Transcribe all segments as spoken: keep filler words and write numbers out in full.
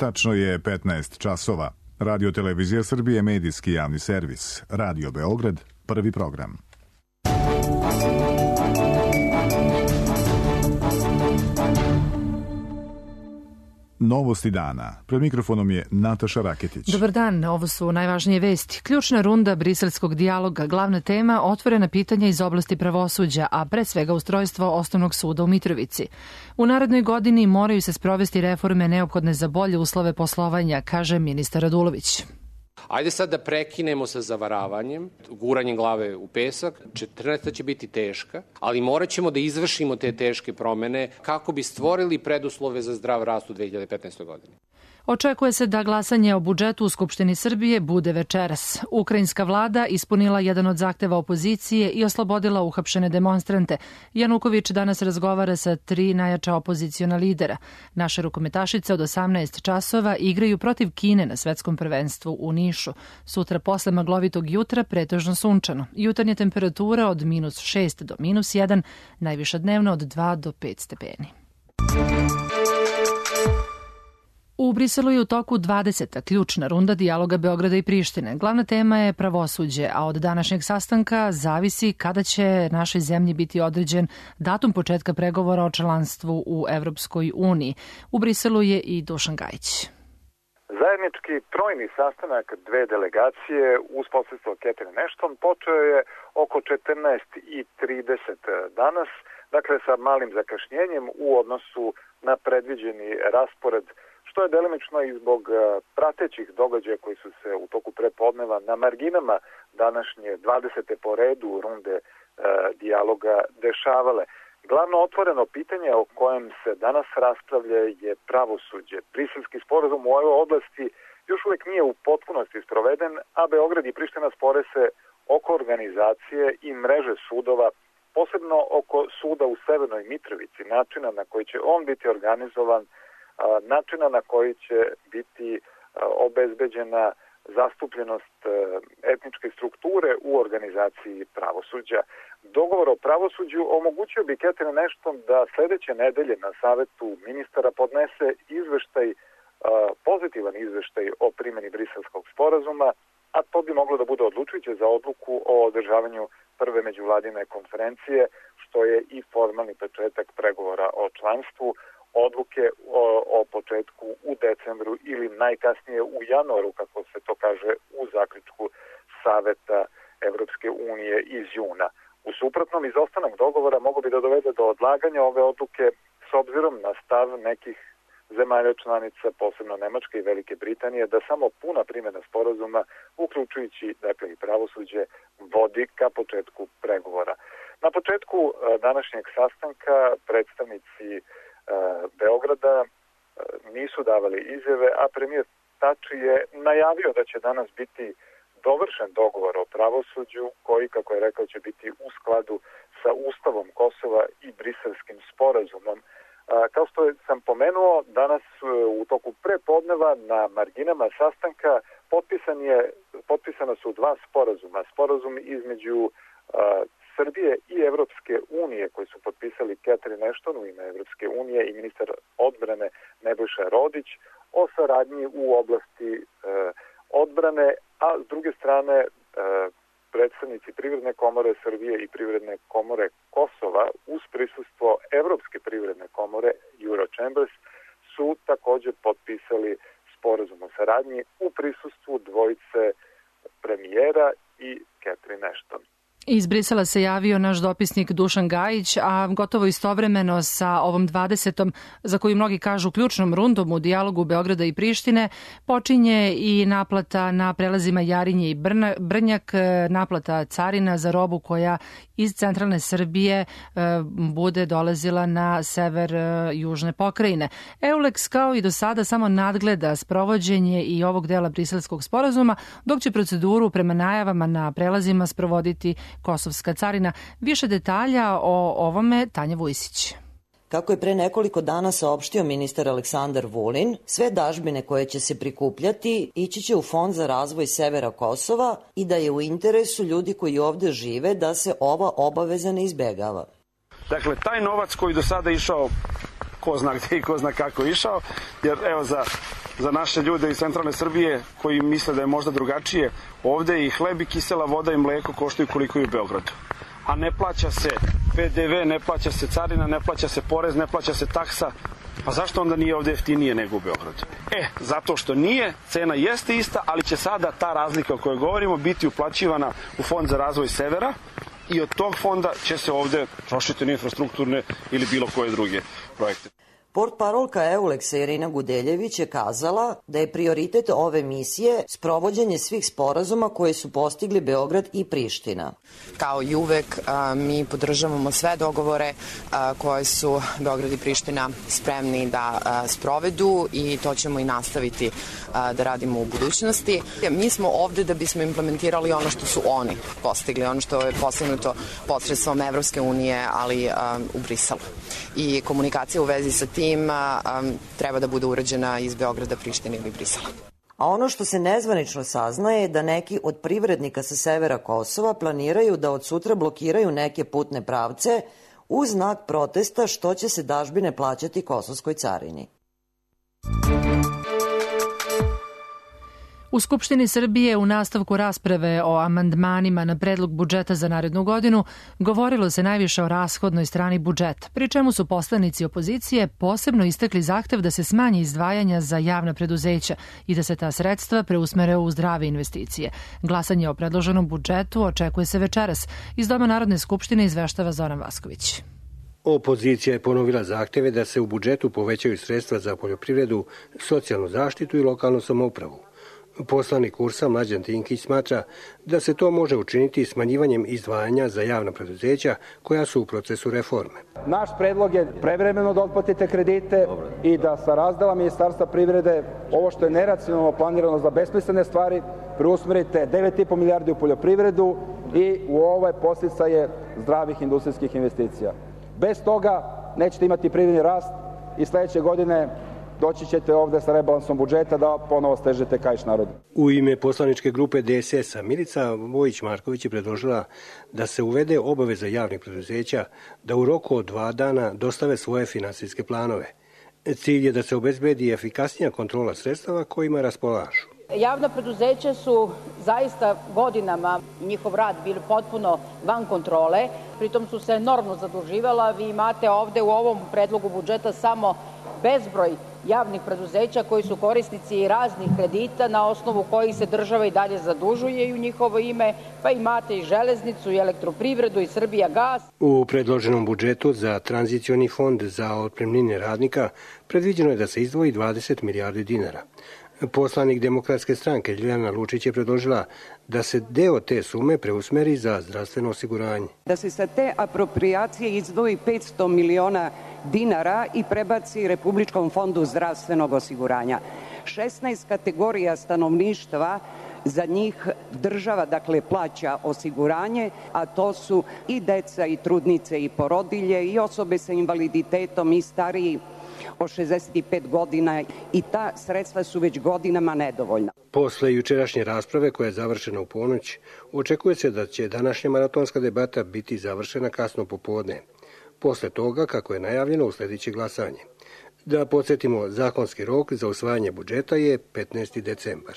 Tačno je petnaest časova. Radio Televizija Srbije, medijski javni servis. Radio Beograd, prvi program. Novosti dana. Pred mikrofonom je Nataša Raketić. Dobar dan, ovo su najvažnije vesti. Ključna runda briselskog dijaloga, glavna tema, otvorena pitanja iz oblasti pravosuđa, a pre svega ustrojstvo Osnovnog suda u Mitrovici. U narednoj godini moraju se sprovesti reforme neophodne za bolje uslove poslovanja, kaže ministar Radulović. Ajde sad da prekinemo sa zavaravanjem, guranjem glave u pesak. četrnaesta će biti teška, ali morat ćemo da izvršimo te teške promene kako bi stvorili preduslove za zdrav rast u dve hiljade petnaestoj godini. Očekuje se da glasanje o budžetu u Skupštini Srbije bude večeras. Ukrajinska vlada ispunila jedan od zahteva opozicije i oslobodila uhapšene demonstrante. Januković danas razgovara sa tri najjača opoziciona lidera. Naše rukometašice od osamnaest časova igraju protiv Kine na svetskom prvenstvu u Nišu. Sutra posle maglovitog jutra pretežno sunčano. Jutarnja temperatura od minus šest do minus jedan, najviša dnevno od dva do pet stepeni. U Briselu je u toku dvadeseta ključna runda dijaloga Beograda i Prištine. Glavna tema je pravosuđe, a od današnjeg sastanka zavisi kada će našoj zemlji biti određen datum početka pregovora o članstvu u Evropskoj uniji. U Briselu je i Dušan Gajić. Zajednički trojni sastanak dve delegacije uz posredstvo Catherine Ashton počeo je oko četrnaest i trideset danas, dakle sa malim zakašnjenjem u odnosu na predviđeni raspored, što je delimično i zbog pratećih događaja koji su se u toku prepodneva na marginama današnje dvadesete po redu runde e, dijaloga dešavale. Glavno otvoreno pitanje o kojem se danas raspravlja je pravosuđe. Briselski sporazum u ovoj oblasti još uvijek nije u potpunosti sproveden, a Beograd i Priština spore se oko organizacije i mreže sudova, posebno oko suda u Severnoj Mitrovici, načina na koji će on biti organizovan, načina na koji će biti obezbeđena zastupljenost etničke strukture u organizaciji pravosuđa. Dogovor o pravosuđu omogućio bi Catherine Ashton da sledeće nedelje na savetu ministara podnese izveštaj, pozitivan izveštaj o primjeni briselskog sporazuma, a to bi moglo da bude odlučujuće za odluku o održavanju prve međuvladine konferencije, što je i formalni početak pregovora o članstvu. Odluke o, o početku u decembru ili najkasnije u januaru, kako se to kaže u zaključku Saveta Evropske unije iz juna. U suprotnom, izostanak dogovora mogu bi da dovede do odlaganja ove odluke s obzirom na stav nekih zemalja članica, posebno Nemačke i Velike Britanije, da samo puna primjena sporazuma, uključujući dakle i pravosuđe, vodi ka početku pregovora. Na početku današnjeg sastanka predstavnici Beograda nisu davali izjave, a premijer Tači je najavio da će danas biti dovršen dogovor o pravosuđu koji, kako je rekao, će biti u skladu sa Ustavom Kosova i Briselskim sporazumom. Kao što sam pomenuo, danas u toku prepodneva na marginama sastanka potpisan je, potpisana su dva sporazuma. Sporazum između Srbije i Evropske unije koji su potpisali Catherine Ashton u ime Evropske unije i ministar odbrane Nebojša Rodić o saradnji u oblasti e, odbrane, a s druge strane e, predstavnici Privredne komore Srbije i Privredne komore Kosova uz prisustvo Evropske privredne komore Eurochambers su također potpisali sporazum o saradnji u prisustvu dvojice premijera i Catherine Ashton. Iz Brisela se javio naš dopisnik Dušan Gajić, a gotovo istovremeno sa ovom dvadesetom, za koju mnogi kažu ključnom rundom u dijalogu Beograda i Prištine, počinje i naplata na prelazima Jarinje i Brnjak, naplata carina za robu koja iz centralne Srbije bude dolazila na sever južne pokrajine. Eulex kao i do sada samo nadgleda sprovođenje i ovog dela briselskog sporazuma, dok će proceduru prema najavama na prelazima sprovoditi Kosovska carina. Više detalja o ovome Tanja Vujsić. Kako je pre nekoliko dana saopštio ministar Aleksandar Vulin, sve dažbine koje će se prikupljati ići će u Fond za razvoj severa Kosova i da je u interesu ljudi koji ovde žive da se ova obaveza ne izbegava. Dakle, taj novac koji do sada išao ko zna gde i ko zna kako išao, jer evo za, za naše ljude iz centralne Srbije koji misle da je možda drugačije, ovde i hleb i kisela voda i mleko koštaju koliko i u Beogradu. A ne plaća se P D V, ne plaća se carina, ne plaća se porez, ne plaća se taksa. Pa zašto onda nije ovde jeftinije nego u Beogradu? E, zato što nije, cena jeste ista, ali će sada ta razlika o kojoj govorimo biti uplaćivana u Fond za razvoj severa i od tog fonda će se ovde trošiti na infrastrukturne ili bilo koje druge projekte. Portparolka Euleksa Irina Gudeljević je kazala da je prioritet ove misije sprovođenje svih sporazuma koje su postigli Beograd i Priština. Kao i uvek, mi podržavamo sve dogovore koje su Beograd i Priština spremni da sprovedu i to ćemo i nastaviti da radimo u budućnosti. Mi smo ovde da bismo implementirali ono što su oni postigli, ono što je postignuto posredstvom Evropske unije, ali u Briselu. I komunikacija u vezi sa tim treba da bude urađena iz Beograda, Prištine ili Brisela. A ono što se nezvanično saznaje je da neki od privrednika sa severa Kosova planiraju da od sutra blokiraju neke putne pravce u znak protesta što će se dažbine plaćati kosovskoj carini. U Skupštini Srbije u nastavku rasprave o amandmanima na predlog budžeta za narednu godinu govorilo se najviše o rashodnoj strani budžeta, pri čemu su poslanici opozicije posebno istakli zahtev da se smanji izdvajanja za javna preduzeća i da se ta sredstva preusmere u zdrave investicije. Glasanje o predloženom budžetu očekuje se večeras. Iz Doma Narodne skupštine izveštava Zoran Vasković. Opozicija je ponovila zahteve da se u budžetu povećaju sredstva za poljoprivredu, socijalnu zaštitu i lokalnu samoupravu. Poslanik U R S-a Mlađan Dinkić smatra da se to može učiniti smanjivanjem izdvajanja za javna preduzeća koja su u procesu reforme. Naš predlog je prevremeno da otplatite kredite i da sa razdela Ministarstva privrede ovo što je neracionalno planirano za besmislene stvari preusmerite devet i po milijardi u poljoprivredu i u ove podsticaje zdravih industrijskih investicija. Bez toga nećete imati privredni rast i sledeće godine doći ćete ovde sa rebalansom budžeta da ponovo stežete kaiš narodu. U ime poslaničke grupe D S S-a Milica Vojić-Marković je predložila da se uvede obaveza javnih preduzeća da u roku od dva dana dostave svoje finansijske planove. Cilj je da se obezbedi efikasnija kontrola sredstava kojima raspolažu. Javna preduzeća su zaista godinama njihov rad bili potpuno van kontrole, pritom su se enormno zaduživala. Vi imate ovde u ovom predlogu budžeta samo bezbroj javnih preduzeća koji su korisnici raznih kredita na osnovu kojih se država i dalje zadužuje i u njihovo ime, pa imate i železnicu i elektroprivredu i Srbijagas. U predloženom budžetu za tranzicioni fond za otpremnine radnika predviđeno je da se izdvoji dvadeset milijardi dinara. Poslanik Demokratske stranke Ljiljana Lučić je predložila da se deo te sume preusmeri za zdravstveno osiguranje. Da se sa te apropriacije izdvoji petsto miliona dinara i prebaci Republičkom fondu zdravstvenog osiguranja. šesnaest kategorija stanovništva, za njih država dakle plaća osiguranje, a to su i deca i trudnice i porodilje i osobe sa invaliditetom i stariji od šezdeset pet godina i ta sredstva su već godinama nedovoljna. Posle jučerašnje rasprave koja je završena u ponoć, očekuje se da će današnja maratonska debata biti završena kasno popodne. Posle toga, kako je najavljeno, uslediće glasanje. Da podsjetimo, zakonski rok za usvajanje budžeta je petnaesti decembar.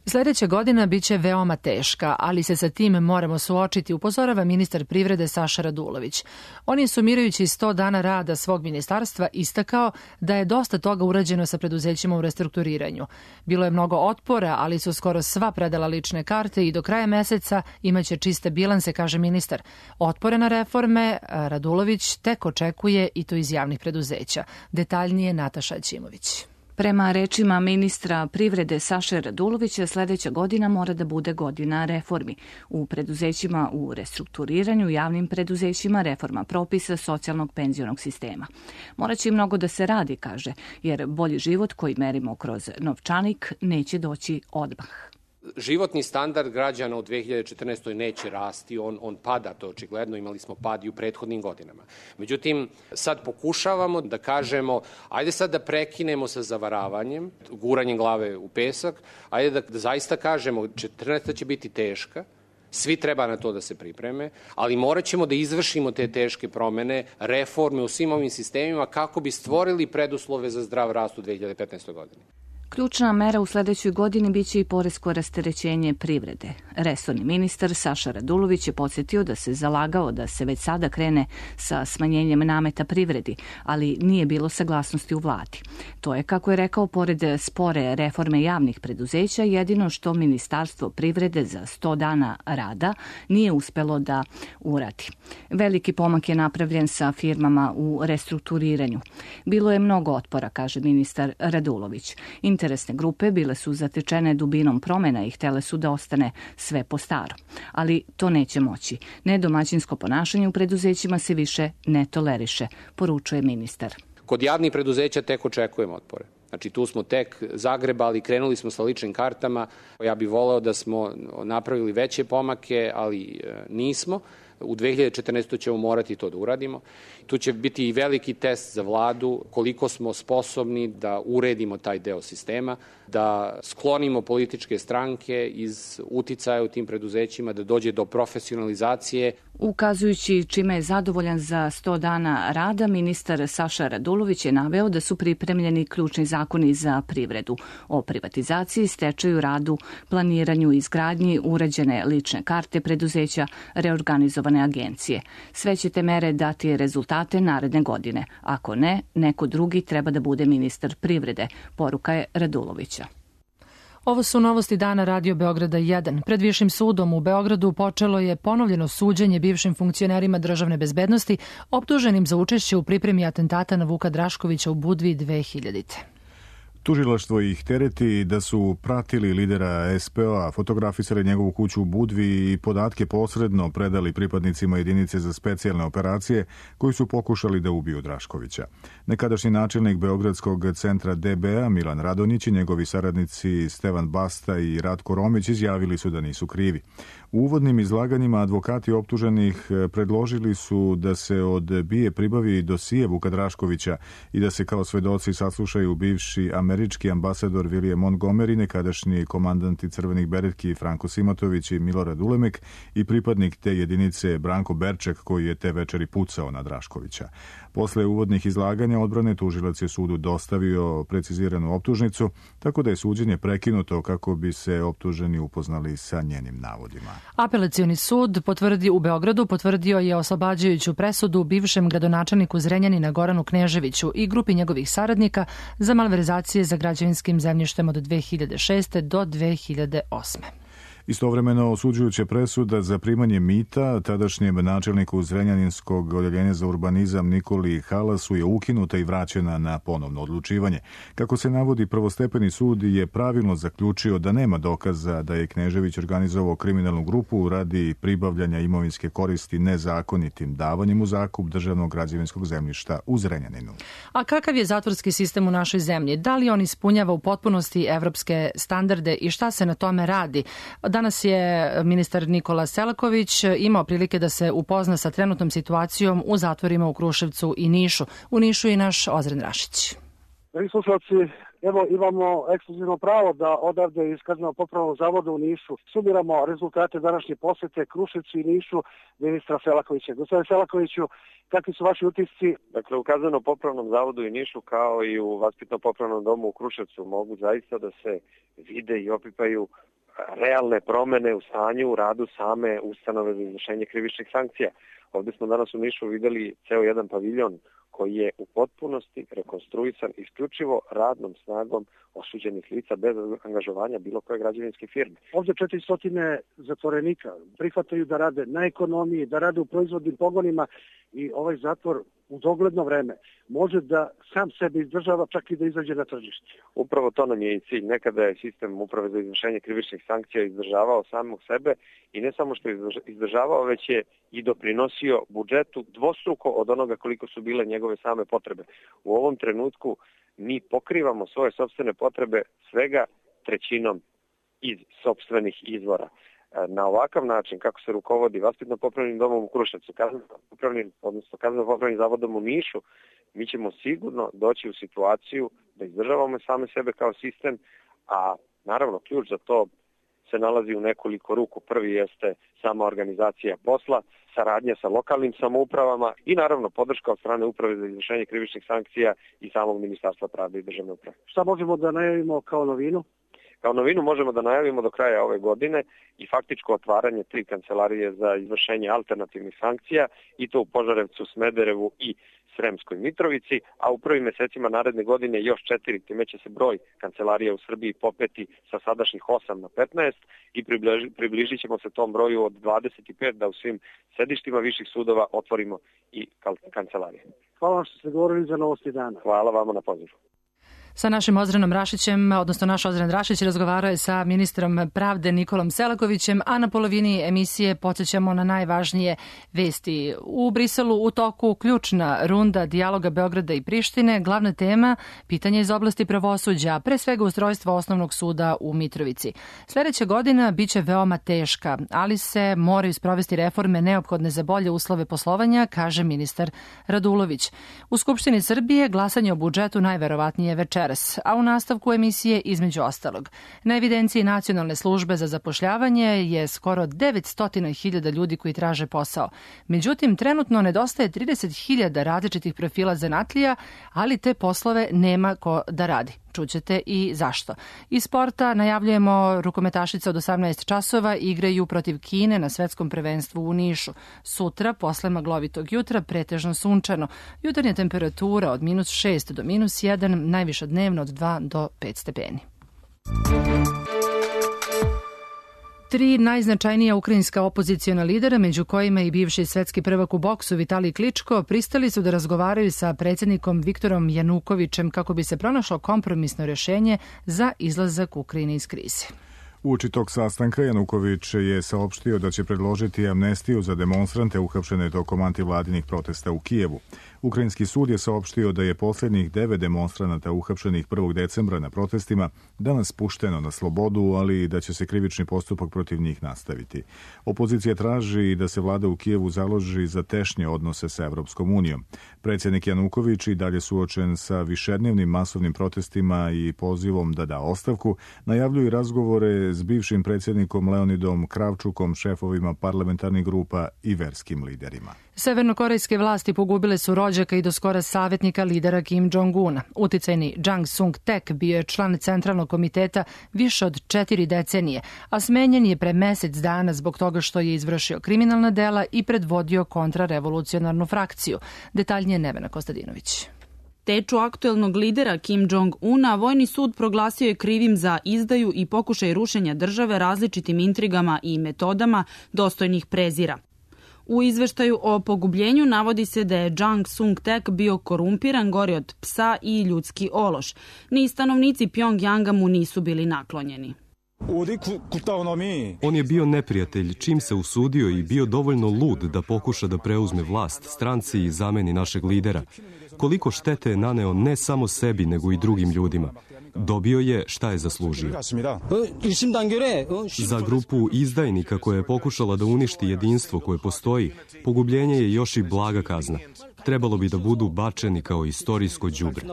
Sledeća godina biće veoma teška, ali se sa tim moramo suočiti, upozorava ministar privrede Saša Radulović. On je sumirajući sto dana rada svog ministarstva istakao da je dosta toga urađeno sa preduzećima u restrukturiranju. Bilo je mnogo otpora, ali su skoro sva predala lične karte i do kraja meseca imaće čiste bilanse, kaže ministar. Otpore na reforme Radulović tek očekuje i to iz javnih preduzeća. Detaljnije Nataša Ćimović. Prema rečima ministra privrede Saše Radulovića, sledeća godina mora da bude godina reformi. U preduzećima u restrukturiranju, javnim preduzećima, reforma propisa socijalnog penzionog sistema. Moraće i mnogo da se radi, kaže, jer bolji život koji merimo kroz novčanik neće doći odmah. Životni standard građana u dve hiljade četrnaestoj. neće rasti, on, on pada, to očigledno, imali smo pad i u prethodnim godinama. Međutim, sad pokušavamo da kažemo, ajde sad da prekinemo sa zavaravanjem, guranjem glave u pesak, ajde da, da zaista kažemo, četrnaesta. će biti teška, Svi treba na to da se pripreme, ali morat ćemo da izvršimo te teške promene, reforme u svim ovim sistemima kako bi stvorili preduslove za zdrav rast u dve hiljade petnaestoj. godini. Ključna mera u sledećoj godini biće i poresko rasterećenje privrede. Resorni ministar Saša Radulović je podsjetio da se zalagao da se već sada krene sa smanjenjem nameta privredi, ali nije bilo saglasnosti u vladi. To je, kako je rekao, pored spore reforme javnih preduzeća, jedino što Ministarstvo privrede za sto dana rada nije uspelo da uradi. Veliki pomak je napravljen sa firmama u restrukturiranju. Bilo je mnogo otpora, kaže ministar Radulović. Interesne grupe bile su zatečene dubinom promena i htele su da ostane sve po staro. Ali to neće moći. Nedomaćinsko ponašanje u preduzećima se više ne toleriše, poručuje ministar. Kod javnih preduzeća tek očekujemo otpore. Znači tu smo tek zagrebali, krenuli smo sa ličnim kartama. Ja bih voleo da smo napravili veće pomake, ali nismo. U dve hiljade četrnaestoj. ćemo morati to da uradimo. Tu će biti i veliki test za vladu koliko smo sposobni da uredimo taj deo sistema, da sklonimo političke stranke iz uticaja u tim preduzećima, da dođe do profesionalizacije. Ukazujući čime je zadovoljan za sto dana rada, ministar Saša Radulović je naveo da su pripremljeni ključni zakoni za privredu o privatizaciji, stečaju, radu, planiranju i izgradnji, uređene lične karte preduzeća, reorganizovane agencije. Sve će te mere dati rezultate naredne godine. Ako ne, neko drugi treba da bude ministar privrede, poruka je Radulovića. Ovo su novosti dana Radio Beograda jedan. Pred Višim sudom u Beogradu počelo je ponovljeno suđenje bivšim funkcionerima državne bezbednosti optuženim za učešće u pripremi atentata na Vuka Draškovića u Budvi dve hiljadite. Tužilaštvo ih tereti da su pratili lidera es pe o-a, fotografisali njegovu kuću u Budvi i podatke posredno predali pripadnicima jedinice za specijalne operacije koji su pokušali da ubiju Draškovića. Nekadašnji načelnik Beogradskog centra de be a Milan Radonjić i njegovi saradnici Stevan Basta i Ratko Romić izjavili su da nisu krivi. U uvodnim izlaganjima advokati optuženih predložili su da se od be i a pribavi dosije Vuka Draškovića i da se kao svedoci saslušaju bivši američki ambasador William Montgomery, nekadašnji komandanti crvenih beretki Franko Simatović i Milorad Ulemek i pripadnik te jedinice Branko Berček koji je te večeri pucao na Draškovića. Posle uvodnih izlaganja odbrane tužilac je sudu dostavio preciziranu optužnicu, tako da je suđenje prekinuto kako bi se optuženi upoznali sa njenim navodima. Apelacioni sud potvrdi u Beogradu potvrdio je oslobađajuću presudu bivšem gradonačelniku Zrenjanina Goranu Kneževiću i grupi njegovih saradnika za malverzacije za građevinskim zemljištem od dve hiljade šeste. do dve hiljade osme. Istovremeno osuđujuća presuda za primanje mita tadašnjem načelniku Zrenjaninskog odeljenja za urbanizam Nikoli Halasu je ukinuta i vraćena na ponovno odlučivanje. Kako se navodi, prvostepeni sud je pravilno zaključio da nema dokaza da je Knežević organizovao kriminalnu grupu radi pribavljanja imovinske koristi nezakonitim davanjem u zakup državnog građevinskog zemljišta u Zrenjaninu. A kakav je zatvorski sistem u našoj zemlji? Da li on ispunjava u potpunosti evropske standarde i šta se na tome radi? Danas je ministar Nikola Selaković imao prilike da se upozna sa trenutnom situacijom u zatvorima u Kruševcu i Nišu. U Nišu i naš Ozren Rašić. Dragi slušalci, evo imamo ekskluzivno pravo da odavde iz Kazneno-popravnog zavoda u Nišu sumiramo rezultate današnje posete Kruševcu i Nišu ministra Selakovića. Gospodine Selakoviću, kakvi su vaši utisci? Dakle, u Kazneno-popravnom zavodu i Nišu kao i u Vaspitno-popravnom domu u Kruševcu mogu zaista da se vide i opipaju realne promene u stanju, u radu same ustanove za izvršenje krivičnih sankcija. Ovdje smo danas u Nišu videli ceo jedan paviljon koji je u potpunosti rekonstruisan isključivo radnom snagom osuđenih lica bez angažovanja bilo koje građevinske firme. Ovdje četiristo zatvorenika prihvataju da rade na ekonomiji, da rade u proizvodnim pogonima i ovaj zatvor u dogledno vreme može da sam sebe izdržava, čak i da izađe na tržište. Upravo to nam je i cilj. Nekada je sistem uprave za izvršenje krivičnih sankcija izdržavao samog sebe i ne samo što je izdržavao, već je i doprinosio budžetu dvostruko od onoga koliko su bile njegove same potrebe. U ovom trenutku mi pokrivamo svoje sopstvene potrebe svega trećinom iz sopstvenih izvora. Na ovakav način, kako se rukovodi Vaspitno-popravnim domom u Kruševcu, kazneno-popravnim, odnosno kazneno-popravnim zavodom u Nišu, mi ćemo sigurno doći u situaciju da izdržavamo same sebe kao sistem, a naravno ključ za to se nalazi u nekoliko ruku. Prvi jeste sama organizacija posla, saradnja sa lokalnim samoupravama i naravno podrška od strane Uprave za izvršenje krivičnih sankcija i samog Ministarstva pravde i državne uprave. Šta možemo da najavimo kao novinu? Kao novinu možemo da najavimo do kraja ove godine i faktičko otvaranje tri kancelarije za izvršenje alternativnih sankcija i to u Požarevcu, Smederevu i Sremskoj Mitrovici, a u prvim mesecima naredne godine još četiri, time će se broj kancelarija u Srbiji popeti sa sadašnjih osam na petnaest i približi, približit ćemo se tom broju od dvadeset pet da u svim sedištima viših sudova otvorimo i kancelarije. Hvala vam što ste govorili za Novosti dana. Hvala vama na pozivu. Sa našim Ozrenom Rašićem, odnosno naš Ozren Rašić, razgovarao je sa ministrom pravde Nikolom Selakovićem, a na polovini emisije podsjećamo na najvažnije vesti. U Briselu u toku ključna runda dijaloga Beograda i Prištine, glavna tema pitanje iz oblasti pravosuđa, pre svega ustrojstva osnovnog suda u Mitrovici. Sljedeća godina biće veoma teška, ali se moraju sprovesti reforme neophodne za bolje uslove poslovanja, kaže ministar Radulović. U Skupštini Srbije glasanje o budžetu najverovatnije večer, a u nastavku emisije između ostalog. Na evidenciji Nacionalne službe za zapošljavanje je skoro devetsto hiljada ljudi koji traže posao. Međutim, trenutno nedostaje trideset hiljada različitih profila zanatlija, ali te poslove nema ko da radi. Čućete i zašto. Iz sporta najavljujemo rukometašice od osamnaest časova igraju protiv Kine na svetskom prvenstvu u Nišu. Sutra, posle maglovitog jutra, pretežno sunčano. Jutarnja temperatura od minus šest do minus jedan, najviša dnevno od dva do pet stepeni. Tri najznačajnija ukrajinska opozicijona lidera, među kojima i bivši svetski prvak u boksu Vitalij Kličko, pristali su da razgovaraju sa predsjednikom Viktorom Janukovićem kako bi se pronašlo kompromisno rješenje za izlazak Ukrajine iz krize. Uoči tog sastanka Januković je saopštio da će predložiti amnestiju za demonstrante uhapšene tokom antivladinih protesta u Kijevu. Ukrajinski sud je saopštio da je posljednjih devet demonstranata uhapšenih prvog decembra na protestima danas pušteno na slobodu, ali da će se krivični postupak protiv njih nastaviti. Opozicija traži da se vlada u Kijevu založi za tešnje odnose sa Evropskom unijom. Predsjednik Januković i dalje suočen sa višednevnim masovnim protestima i pozivom da da ostavku, najavljuju razgovore s bivšim predsjednikom Leonidom Kravčukom, šefovima parlamentarnih grupa i verskim liderima. Severnokorejske vlasti pogubile su rođaka i doskora savjetnika lidera Kim Jong-una. Uticajni Jang Sung-tek bio je član centralnog komiteta više od četiri decenije, a smenjen je pre mesec dana zbog toga što je izvršio kriminalna dela i predvodio kontrarevolucionarnu frakciju. Detaljnije Nevena Kostadinović. Teču aktuelnog lidera Kim Jong-una vojni sud proglasio je krivim za izdaju i pokušaj rušenja države različitim intrigama i metodama dostojnih prezira. U izveštaju o pogubljenju navodi se da je Jang Sung-tek bio korumpiran, gori od psa i ljudski ološ. Ni stanovnici Pjongjanga mu nisu bili naklonjeni. On je bio neprijatelj čim se usudio i bio dovoljno lud da pokuša da preuzme vlast stranci i zameni našeg lidera. Koliko štete je naneo ne samo sebi nego i drugim ljudima. Dobio je šta je zaslužio. Za grupu izdajnika koja je pokušala da uništi jedinstvo koje postoji, pogubljenje je još i blaga kazna. Trebalo bi da budu bačeni kao istorijsko đubre.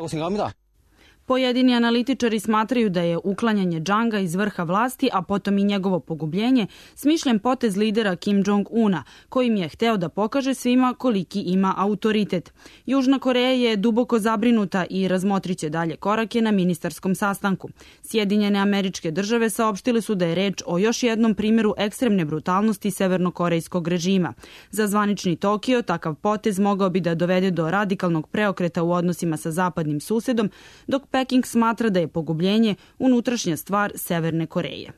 Pojedini analitičari smatraju da je uklanjanje Janga iz vrha vlasti, a potom i njegovo pogubljenje, smišljen potez lidera Kim Jong-una, kojim je hteo da pokaže svima koliki ima autoritet. Južna Koreja je duboko zabrinuta i razmotriće dalje korake na ministarskom sastanku. Sjedinjene Američke Države saopštile su da je reč o još jednom primjeru ekstremne brutalnosti severnokorejskog režima. Za zvanični Tokio takav potez mogao bi da dovede do radikalnog preokreta u odnosima sa zapadnim susedom, dok Peking smatra da je pogubljenje unutrašnja stvar Severne Koreje.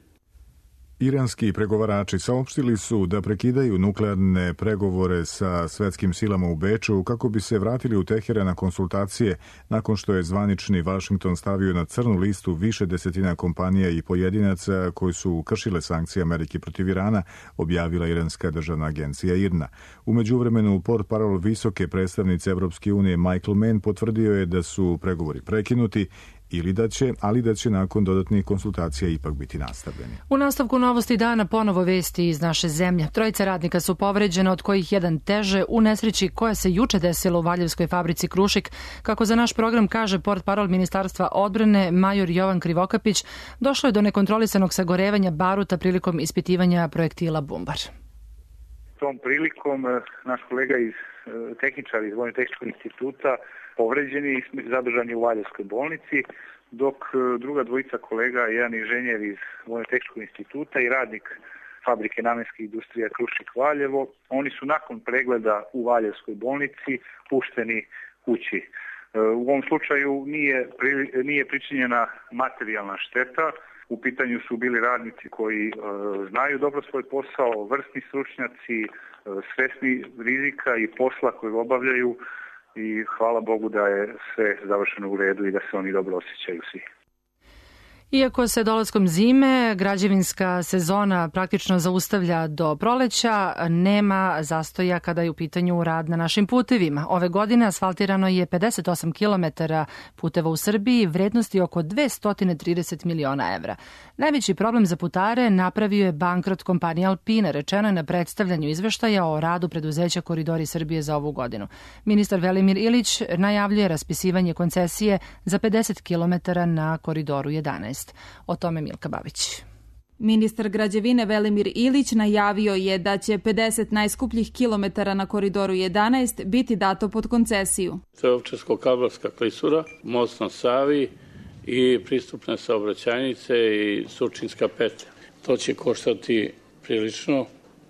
Iranski pregovarači saopštili su da prekidaju nuklearne pregovore sa svetskim silama u Beču kako bi se vratili u Teheran na konsultacije nakon što je zvanični Vašington stavio na crnu listu više desetina kompanija i pojedinaca koji su kršile sankcije Amerike protiv Irana, objavila iranska državna agencija I R N A. U međuvremenu portparol visoke predstavnice Evropske unije Michael Mann potvrdio je da su pregovori prekinuti ili da će, ali da će nakon dodatnih konsultacija ipak biti nastavljeni. U nastavku novosti dana ponovo vesti iz naše zemlje. Trojica radnika su povređena, od kojih jedan teže u nesreći koja se juče desila u Valjevskoj fabrici Krušik. Kako za naš program kaže portparol Ministarstva odbrane major Jovan Krivokapić, došlo je do nekontrolisanog sagorevanja baruta prilikom ispitivanja projektila Bumbar. Tom prilikom naš kolega iz tehničara iz Vojno-tehničkog instituta povređeni i zadržani u Valjevskoj bolnici, dok druga dvojica kolega, jedan inženjer iz Vojno-tehničkog instituta i radnik fabrike namenskih industrija Krušik Valjevo, oni su nakon pregleda u Valjevskoj bolnici pušteni kući. U ovom slučaju nije, nije pričinjena materijalna šteta. U pitanju su bili radnici koji e, znaju dobro svoj posao, vrsni stručnjaci, e, svesni rizika i posla koji obavljaju i hvala Bogu da je sve završeno u redu i da se oni dobro osjećaju svi. Iako se dolaskom zime građevinska sezona praktično zaustavlja do proleća, nema zastoja kada je u pitanju rad na našim putevima. Ove godine asfaltirano je pedeset osam kilometara puteva u Srbiji, vrednosti oko dvesta trideset miliona evra. Najveći problem za putare napravio je bankrot kompanije Alpina, rečeno je na predstavljanju izveštaja o radu preduzeća Koridori Srbije za ovu godinu. Ministar Velimir Ilić najavljuje raspisivanje koncesije za pedeset kilometara na Koridoru jedanaest. O tome Milka Babić. Ministar građevine Velimir Ilić najavio je da će pedeset najskupljih kilometara na Koridoru jedanaest biti dato pod koncesiju. To je Ovčarsko-kablarska klisura, most na Savi i pristupne saobraćajnice i Surčinska petlja. To će koštati prilično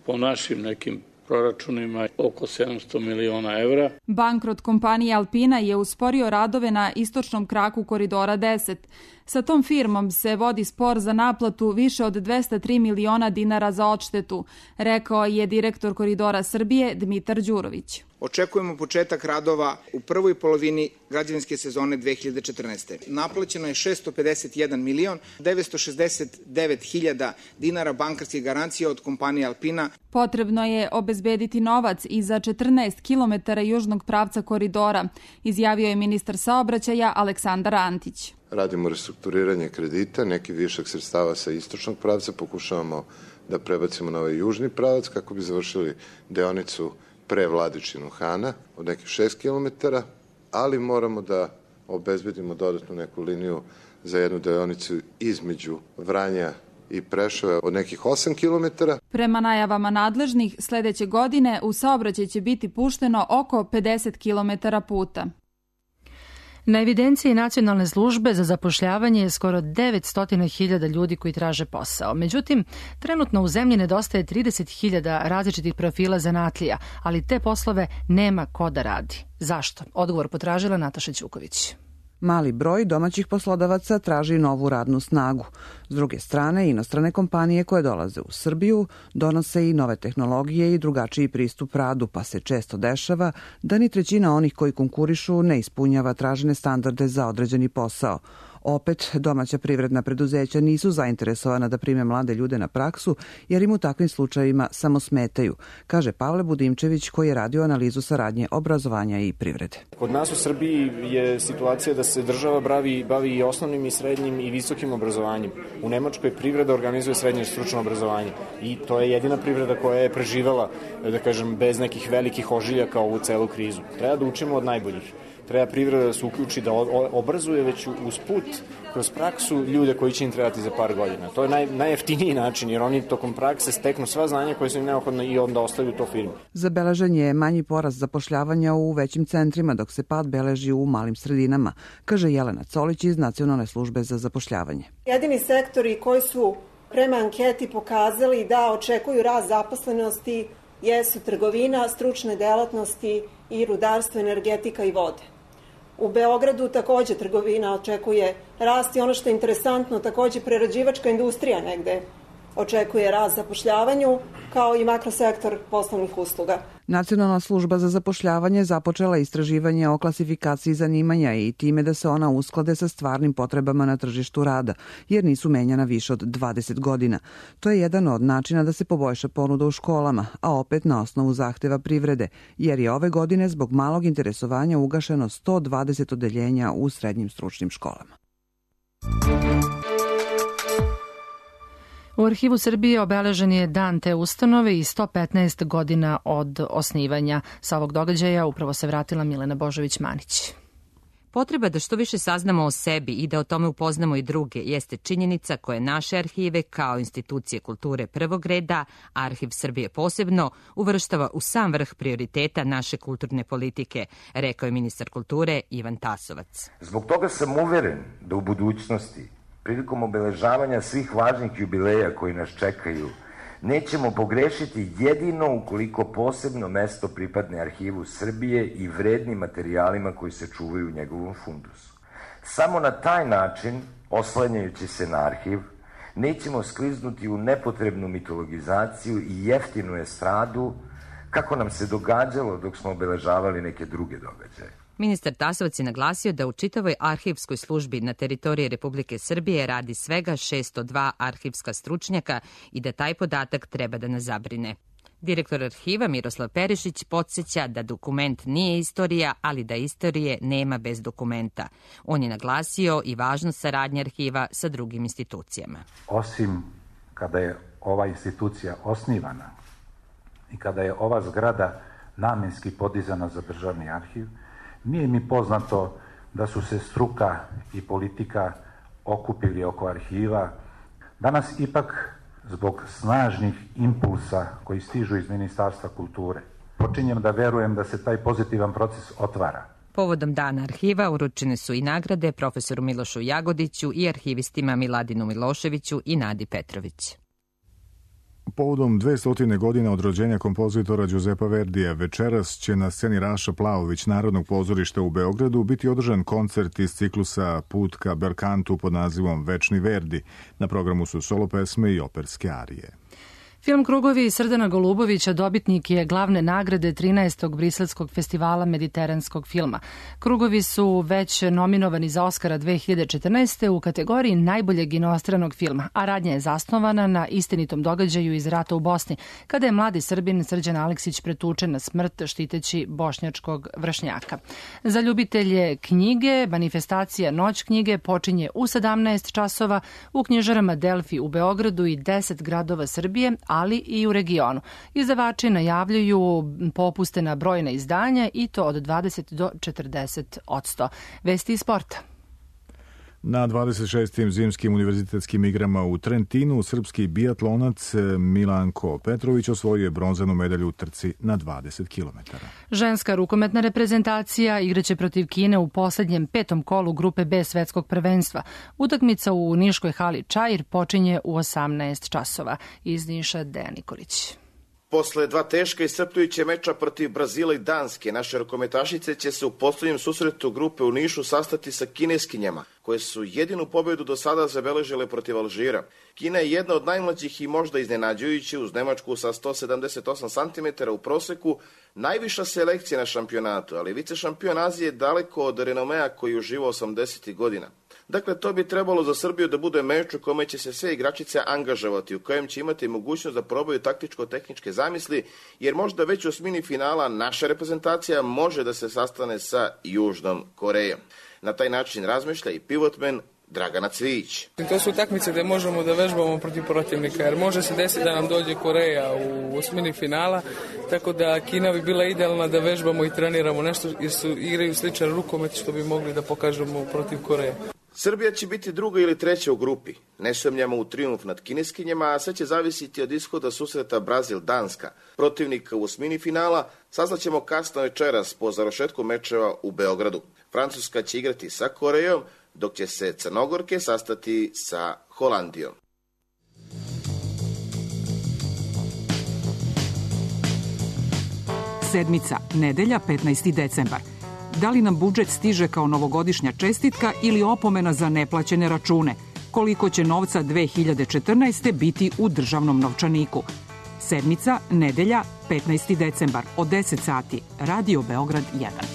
po našim nekim proračunima oko sedamsto miliona evra. Bankrot kompanije Alpina je usporio radove na istočnom kraku Koridora deset. Sa tom firmom se vodi spor za naplatu više od dvesta tri miliona dinara za odštetu, rekao je direktor Koridora Srbije Dmitar Đurović. Očekujemo početak radova u prvoj polovini građevinske sezone dve hiljade četrnaeste. Naplaćeno je šesto pedeset jedan milion devetsto šezdeset devet hiljada dinara bankarskih garancija od kompanije Alpina. Potrebno je obezbediti novac i za četrnaest kilometara južnog pravca koridora, izjavio je ministar saobraćaja Aleksandar Antić. Radimo restrukturiranje kredita, neki višak sredstava sa istočnog pravca pokušavamo da prebacimo na ovaj južni pravac kako bi završili deonicu pre Vladičinu Hana od nekih šest kilometara, ali moramo da obezbedimo dodatnu neku liniju za jednu deonicu između Vranja i Preševa od nekih osam kilometara. Prema najavama nadležnih, sledeće godine u saobraćaj će biti pušteno oko pedeset kilometara puta. Na evidenciji Nacionalne službe za zapošljavanje je skoro devetsto hiljada ljudi koji traže posao. Međutim, trenutno u zemlji nedostaje trideset hiljada različitih profila zanatlija, ali te poslove nema ko da radi. Zašto? Odgovor potražila Nataša Ćuković. Mali broj domaćih poslodavaca traži novu radnu snagu. S druge strane, inostrane kompanije koje dolaze u Srbiju donose i nove tehnologije i drugačiji pristup radu, pa se često dešava da ni trećina onih koji konkurišu ne ispunjava tražene standarde za određeni posao. Opet, domaća privredna preduzeća nisu zainteresovana da prime mlade ljude na praksu, jer im u takvim slučajevima samo smetaju, kaže Pavle Budimčević koji je radio analizu saradnje obrazovanja i privrede. Kod nas u Srbiji je situacija da se država bavi, bavi i osnovnim i srednjim i visokim obrazovanjem. U Nemačkoj privreda organizuje srednje stručno obrazovanje i to je jedina privreda koja je preživela, da kažem, bez nekih velikih ožiljaka ovu celu krizu. Treba da učimo od najboljih. Treba privreda da se uključi, da obrazuje već uz put, kroz praksu ljude koji će im trebati za par godina. To je naj, najjeftiniji način, jer oni tokom prakse steknu sva znanja koje su im neophodne i onda ostaju to firmi. Zabeležen je manji porast zapošljavanja u većim centrima, dok se pad beleži u malim sredinama, kaže Jelena Colić iz Nacionalne službe za zapošljavanje. Jedini sektori koji su prema anketi pokazali da očekuju rast zaposlenosti jesu trgovina, stručne delatnosti i rudarstvo, energetika i vode. U Beogradu takođe trgovina očekuje rast i ono što je interesantno, takođe prerađivačka industrija negde očekuje rast zapošljavanju, kao i makrosektor poslovnih usluga. Nacionalna služba za zapošljavanje započela istraživanje o klasifikaciji zanimanja i time da se ona usklade sa stvarnim potrebama na tržištu rada, jer nisu menjana više od dvadeset godina. To je jedan od načina da se poboljša ponuda u školama, a opet na osnovu zahteva privrede, jer je ove godine zbog malog interesovanja ugašeno sto dvadeset odeljenja u srednjim stručnim školama. U Arhivu Srbije obeležen je dan te ustanove i sto petnaest godina od osnivanja. Sa ovog događaja upravo se vratila Milena Božović-Manić. Potreba da što više saznamo o sebi i da o tome upoznamo i druge jeste činjenica koje naše arhive kao institucije kulture prvog reda, Arhiv Srbije posebno, uvrštava u sam vrh prioriteta naše kulturne politike, rekao je ministar kulture Ivan Tasovac. Zbog toga sam uveren da u budućnosti, prilikom obeležavanja svih važnih jubileja koji nas čekaju, nećemo pogrešiti jedino ukoliko posebno mesto pripadne Arhivu Srbije i vrednim materijalima koji se čuvaju u njegovom fundusu. Samo na taj način, oslanjajući se na arhiv, nećemo skliznuti u nepotrebnu mitologizaciju i jeftinu estradu, kako nam se događalo dok smo obeležavali neke druge događaje. Ministar Tasovac je naglasio da u čitavoj arhivskoj službi na teritoriji Republike Srbije radi svega šesto dva arhivska stručnjaka i da taj podatak treba da nas zabrine. Direktor arhiva Miroslav Perišić podsjeća da dokument nije istorija, ali da istorije nema bez dokumenta. On je naglasio i važnost saradnje arhiva sa drugim institucijama. Osim kada je ova institucija osnivana i kada je ova zgrada namenski podizana za državni arhiv, nije mi poznato da su se struka i politika okupili oko arhiva. Danas ipak, zbog snažnih impulsa koji stižu iz Ministarstva kulture, počinjem da verujem da se taj pozitivan proces otvara. Povodom Dana arhiva uručene su i nagrade profesoru Milošu Jagodiću i arhivistima Miladinu Miloševiću i Nadi Petrović. Povodom dvestotine godina od rođenja kompozitora Đuzepa Verdija, večeras će na sceni Raša Plavović Narodnog pozorišta u Beogradu biti održan koncert iz ciklusa Put ka Berkantu pod nazivom Večni Verdi. Na programu su solo pesme i operske arije. Film Krugovi Srdana Golubovića dobitnik je glavne nagrade trinaestog Briselskog festivala mediteranskog filma. Krugovi su već nominovani za Oskara dve hiljade četrnaeste. u kategoriji najboljeg inostranog filma, a radnja je zasnovana na istinitom događaju iz rata u Bosni, kada je mladi Srbin Srđan Aleksić pretučen na smrt štiteći bošnjačkog vršnjaka. Za ljubitelje knjige, manifestacija Noć knjige počinje u sedamnaest časova u knjižarama Delfi u Beogradu i deset gradova Srbije, ali i u regionu. Izdavači najavljuju popuste na brojna izdanja i to od dvadeset do četrdeset odsto. Vesti iz sporta. Na dvadeset šestim zimskim univerzitetskim igrama u Trentinu srpski biatlonac Milanko Petrović osvojio je bronzanu medalju u trci na dvadeset kilometara. Ženska rukometna reprezentacija igraće protiv Kine u poslednjem petom kolu grupe B svetskog prvenstva. Utakmica u niškoj hali Čair počinje u osamnaest časova. Iz Niša Dejan Nikolić. Posle dva teška i iscrpljujuća meča protiv Brazila i Danske, naše rukometašice će se u poslednjem susretu grupe u Nišu sastati sa kineskinjama, koje su jedinu pobedu do sada zabeležile protiv Alžira. Kina je jedna od najmlađih i možda iznenađujući uz Nemačku sa sto sedamdeset osam centimetara u proseku, najviša selekcija na šampionatu, ali vice šampion Azije daleko od renomea koji uživa osamdesetih godina. Dakle, to bi trebalo za Srbiju da bude meč u kome će se sve igračice angažovati, u kojem će imati mogućnost da probaju taktičko-tehničke zamisli, jer možda već u osmini finala naša reprezentacija može da se sastane sa Južnom Korejom. Na taj način razmišlja i pivotmen Dragana Cvijić. To su utakmice gde možemo da vežbamo protiv protivnika, jer može se desiti da nam dođe Koreja u osmini finala, tako da Kina bi bila idealna da vežbamo i treniramo nešto, jer su igraju sličan rukomet što bi mogli da pokažemo protiv Koreje. Srbija će biti druga ili treća u grupi. Ne sumnjamo u trijumf nad kineskinjama, a sve će zavisiti od ishoda susreta Brazil-Danska. Protivnika u osmini finala saznaćemo kasno večeras po završetku mečeva u Beogradu. Francuska će igrati sa Korejom, dok će se Crnogorke sastati sa Holandijom. Sedmica, nedelja, petnaesti decembar. Da li nam budžet stiže kao novogodišnja čestitka ili opomena za neplaćene račune? Koliko će novca dve hiljade četrnaeste. biti u državnom novčaniku? Sedmica, nedelja, petnaesti decembar, od deset sati. Radio Beograd jedan.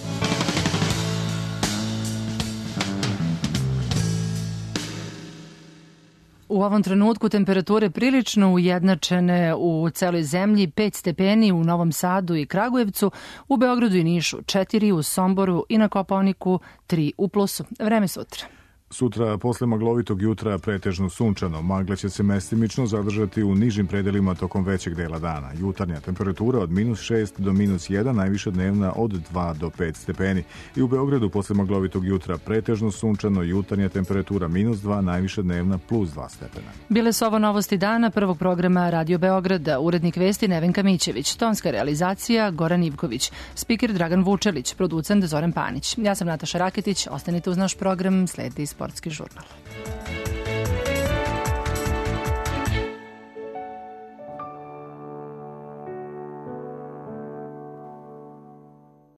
U ovom trenutku temperature prilično ujednačene u celoj zemlji, pet stepeni u Novom Sadu i Kragujevcu, u Beogradu i Nišu četiri, u Somboru i na Kopaoniku tri u plusu. Vreme sutra. Sutra posle maglovitog jutra pretežno sunčano. Magle će se mestimično zadržati u nižim predelima tokom većeg dela dana. Jutarnja temperatura od minus šest do minus jedan, najviša dnevna od dva do pet stepeni. I u Beogradu posle maglovitog jutra pretežno sunčano, jutarnja temperatura minus dva, najviša dnevna plus dva stepena. Bile su ovo novosti dana prvog programa Radio Beograda. Urednik vesti Nevenka Mićević, tonska realizacija Goran Ivković, spiker Dragan Vučelić, producent Zoran Panić. Ja sam Nataša Raketić, ostanite uz naš program, sledi Sportski žurnal.